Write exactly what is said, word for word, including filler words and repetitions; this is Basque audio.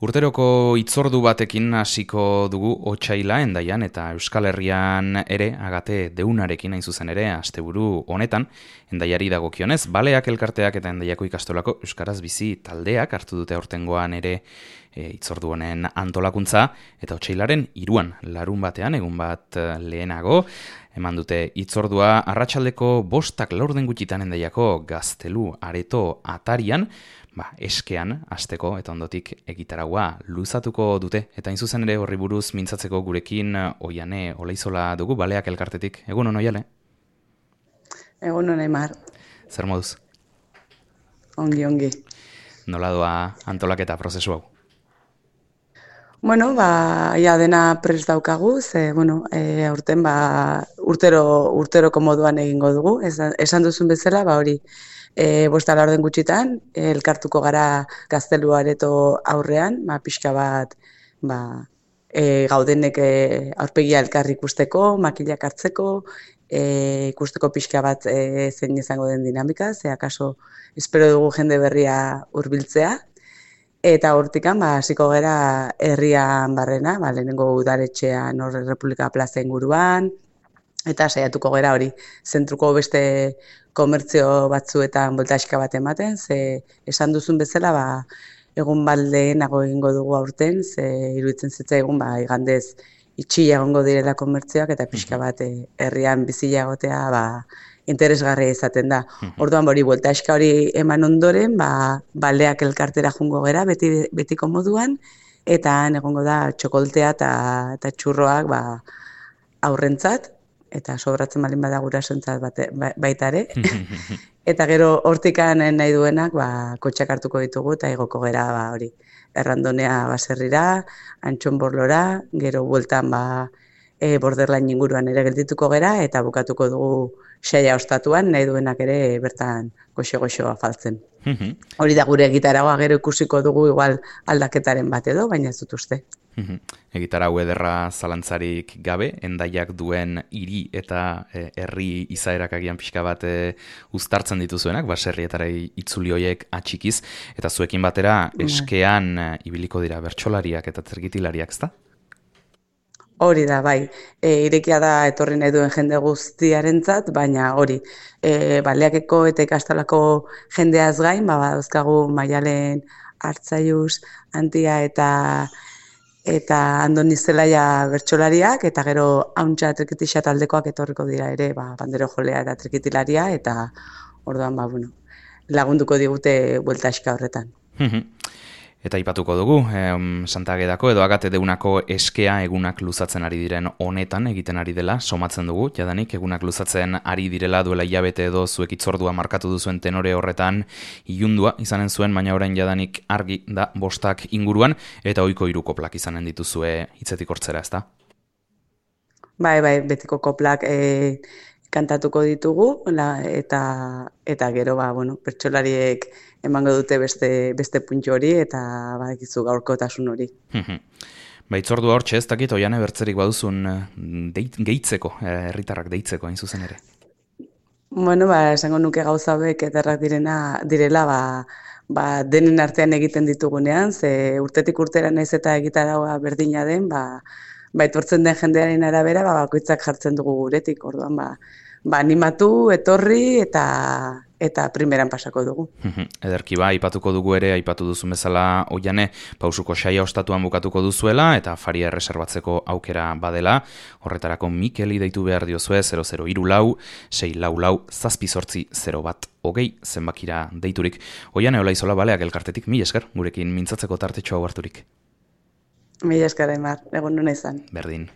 Urteroko hitzordu batekin hasiko dugu otsaila Hendaian eta Euskal Herrian ere agate deunarekin hain zuzen ere asteburu honetan Hendaiari dagokionez Baleak elkarteak eta Hendaiako ikastolako euskaraz bizi taldeak hartu dute aurtengoan ere e, hitzordu honen antolakuntza eta otsailaren hiruan larun batean egun bat lehenago eman dute hitzordua arratsaldeko bostak laurden gutxitan Hendaiako Gaztelu areto atarian. Ba, eskean, hasteko eta ondotik egitaragua luzatuko dute. Eta hain zuzen ere horri buruz mintzatzeko gurekin Oiane Olaizola dugu, Baleak elkartetik. Egun on, Oiane? Egun on, Aimar. Zer moduz? Ongi, ongi. Nola doa antolaketa prozesu hau? Bueno, ba, ja dena prest daukagu, ze, bueno, e, aurten, ba, urtero, urteroko moduan egingo dugu. Esan, esan duzun bezala, ba, hori, E, bosta laurden gutxitan, elkartuko gara Gaztelu areto aurrean, ba, pixka bat ba, e, gaudenek e, aurpegia elkar ikusteko, makilak hartzeko, e, ikusteko pixka bat e, zein izango den dinamika, ze akaso espero dugu jende berria hurbiltzea, eta hortikan ba, hasiko gara herrian barrena, ba, lehenengo udaletxean hor Republika Plaza inguruan, eta saiatuko gera hori, zentruko beste komertzio batzuetan boltaxka bat ematen, ze esan duzun bezala, ba, egun baldeenago egingo dugu aurten, ze iruditzen zitzaigun, ba, igandez itxia egongo direla komertzioak, eta pixka bat eh, herrian bizila egotea, ba, interesgarria izaten da. Orduan hori, boltaxka hori eman ondoren, ba, Baleak elkartera jungo gera, beti, betiko moduan, eta han egongo da txokoltea eta, eta txurroak ba, aurrentzat, eta sobratzen balin bada gurasoentzat baita ere. Eta gero hortikan nahi duenak ba, kotxak hartuko ditugu eta igoko gera ba, hori errandonea baserrira, Antxonborlora, gero bueltan ba, e, borderlain inguruan ere geldituko gera eta bukatuko dugu saia ostatuan, nahi duenak ere bertan goxo-goxo afaltzen. Hori da gure egitaragoa, gero ikusiko dugu igual aldaketaren bat edo, baina ez dut uste. Egitarau ederra zalantzarik gabe, Hendaiak duen hiri eta e, herri izaerak agian pixka bat e, uztartzen dituzuenak, baserrietara itzuli hoiek atxikiz, eta zuekin batera eskean e, ibiliko dira bertsolariak eta zergitilariak, ezta? Hori da, bai, e, irekia da etorri nahi duen jende guztiarentzat, baina hori, e, Baleakeko eta ikastolako jendeaz gain, ba, dauzkagu Maialen Artzaius, Antia eta eta Andoni Zelaia bertsolariak, eta gero hauntza trikitixa taldekoak etorriko dira ere, ba, bandero jolea eta trikitilaria, eta orduan, ba, bueno, lagunduko digute bueltaxka horretan. Eta aipatuko dugu, em, Santa Agedako edo Agate deunako eskea egunak luzatzen ari diren honetan egiten ari dela, somatzen dugu, jadanik egunak luzatzen ari direla duela hilabete edo zuek hitzordua markatu duzuen tenore horretan ilundua izanen zuen, baina orain jadanik argi da bostak inguruan, eta ohiko hiru koplak izanen dituzue hitzetik hortzera, ezta? Bai, bai, betiko koplak e, kantatuko ditugu, la, eta, eta gero, ba, bueno, pertsolariek emango dute beste, beste puntxo hori, eta badakizu gaurkotasun hori. Ba, hitzordua hortxe, ez dakit, Oiane bertzerik baduzun deit, gehitzeko, herritarrak deitzeko hain zuzen ere. Bueno, ba, esango nuke gauza hauek ederrak direna, direla, ba, ba, denen artean egiten ditugunean, ze urtetik urtera naiz eta egitaragoa berdina den, ba, ba, etortzen den jendearen arabera, ba, bakoitzak jartzen dugu guretik, orduan, ba, ba, animatu, etorri, eta eta primeran pasako dugu. Ederki ba, aipatuko dugu ere, aipatu duzun bezala Oiane, pausuko saia ostatuan bukatuko duzuela, eta afaria erreserbatzeko aukera badela, horretarako Mikeli deitu behar diozue, zero zero hiru lau, sei lau lau, zazpi zortzi, zero bat, hogei, zenbakira deiturik. Oiane Olaizola Baleak elkartetik, mila esker, gurekin mintzatzeko tartetxo hau harturik. Mila esker, Aimar, egon nuna izan. Berdin.